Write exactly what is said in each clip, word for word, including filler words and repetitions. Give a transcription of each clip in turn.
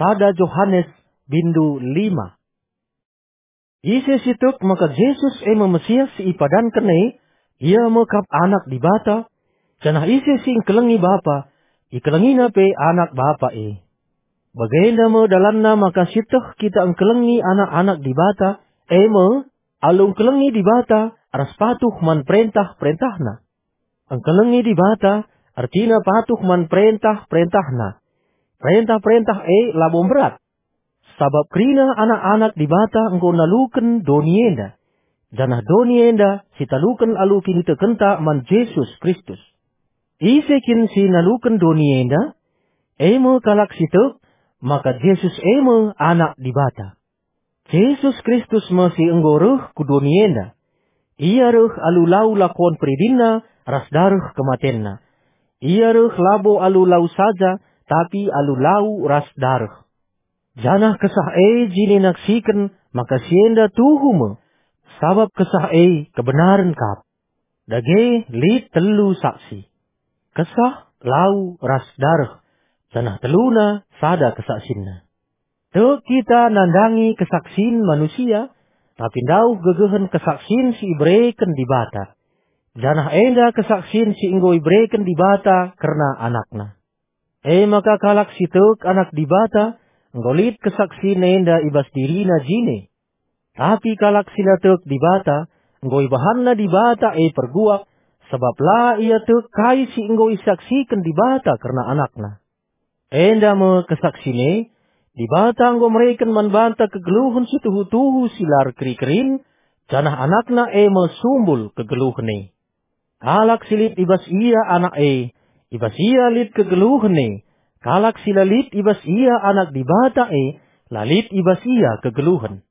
sada Johanes bindu lima. Ise si tek maka Jesus e me Mesias si ipadanken e, ia me kap Anak Dibata, janah ise si engkelengi Bapa, ikelengina pe Anak Bapa e. Bagenda me dalanna maka sieteh kita engkelengi anak-anak Dibata, e me, alu engkelengi Dibata ras patuh man perentah-perentahNa. Engkelengi Dibata ertina patuh man perentah-perentahNa. Perentah-perentah e labo mberat, sabap kerina anak-anak Dibata enggo naluken doni enda, janah doni enda sitaluken alu kinitekenta man Jesus Kristus. Ise kin si naluken doni enda? E me kalak si tek maka Jesus e me Anak Dibata. Jesus Kristus me si enggo reh ku doni enda. Ia reh alu lau lakon peridinNa ras dareh kematenNa. Ia reh labo alu lau saja, tapi alu lau ras dareh. Janah Kesah e jine naksiken maka si enda tuhu me, sabap Kesah e kebenaren kap. Dage lit telu saksi: Kesah, lau, ras dareh, janah teluna sada kesaksinna. Tek kita nandangi kesaksin manusia, tapi ndauh gegehen kesaksin si ibereken Dibata, janah enda kesaksin si enggo ibereken Dibata kerna AnakNa. E maka kalak si tek Anak Dibata enggo lit kesaksin enda i bas dirina jine. Tapi kalak si la tek Dibata, enggo ibahanna Dibata e perguak, sabap la ia tek kai si enggo isaksiken Dibata kerna AnakNa. Enda me kesaksin e: Dibata enggo mereken man banta kegeluhen si tuhu-tuhu si la erkeri-kerin, janah AnakNa e me sumbul kegeluhen e. Kalak si lit i bas ia Anak e, i bas ia lit kegeluhen e. Kalak si la lit i bas ia Anak Dibata e, la lit i bas ia kegeluhen.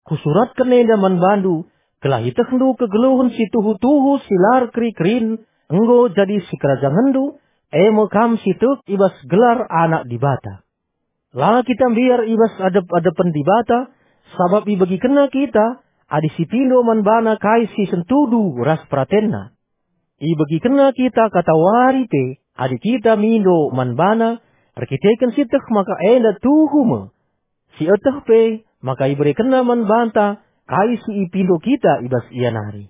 Kusuratken enda man bandu, gelah ietehndu kegeluhen si tuhu-tuhu si la erkeri-kerin enggo jadi sikerajangenndu, e me kam si tek i bas gelar Anak Dibata. La kita mbiar i bas adep-adepen Dibata, sabap ibegikenNa kita, adi sipindo man baNa kai si sentudu ras peratenNa. IbegikenNa kita katawari pe, adi kita mindo man baNa, erkiteken sieteh maka enda tuhu me. Sieteh pe maka iberekenNa man banta kai si ipindo kita i bas Ia nari.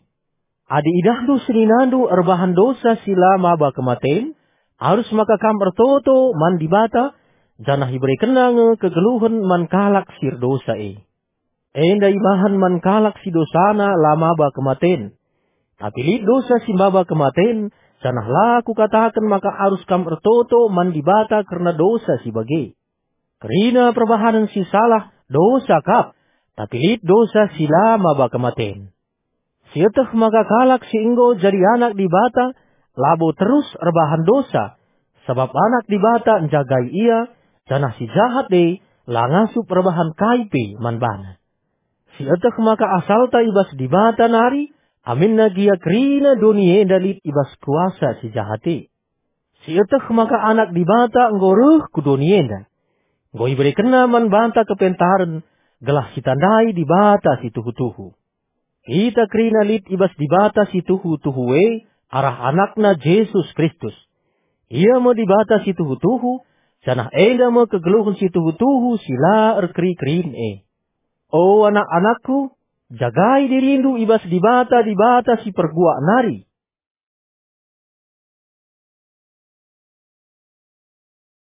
Adi idahndu seninandu erbahan dosa si la maba kematen, arus maka kam ertoto man Dibata, janah iberekenNa nge kegeluhen man kalak si erdosa e. Enda ibahan man kalak si dosana la maba kematen. Tapi lit dosa si maba kematen, janah la kukataken maka arus kam ertoto man Dibata kerna dosa si bage. Kerina perbahanen si salah dosa kap, tapi lit dosa si la maba kematen. Sieteh maka kalak si enggo jadi anak Dibata labo terus erbahan dosa, sabap Anak Dibata njagai ia, janah si jahat e la ngasup erbahan kai pe man bana. Sieteh maka asalta i bas Dibata nari, aminna gia kerina doni enda lit i bas kuasa si jahat e. Sieteh maka Anak Dibata enggo reh ku doni enda. Enggo iberekenNa man banta kepentaren, gelah sitandai Dibata si tuhu-tuhu. Kita kerina lit i bas Dibata si tuhu-tuhu e arah AnakNa Jesus Kristus. Ia me Dibata si tuhu-tuhu, janah enda me kegeluhen si tuhu-tuhu si la erkeri-kerin e. O anak-anakku, jagai dirindu i bas Dibata, Dibata si perguak nari.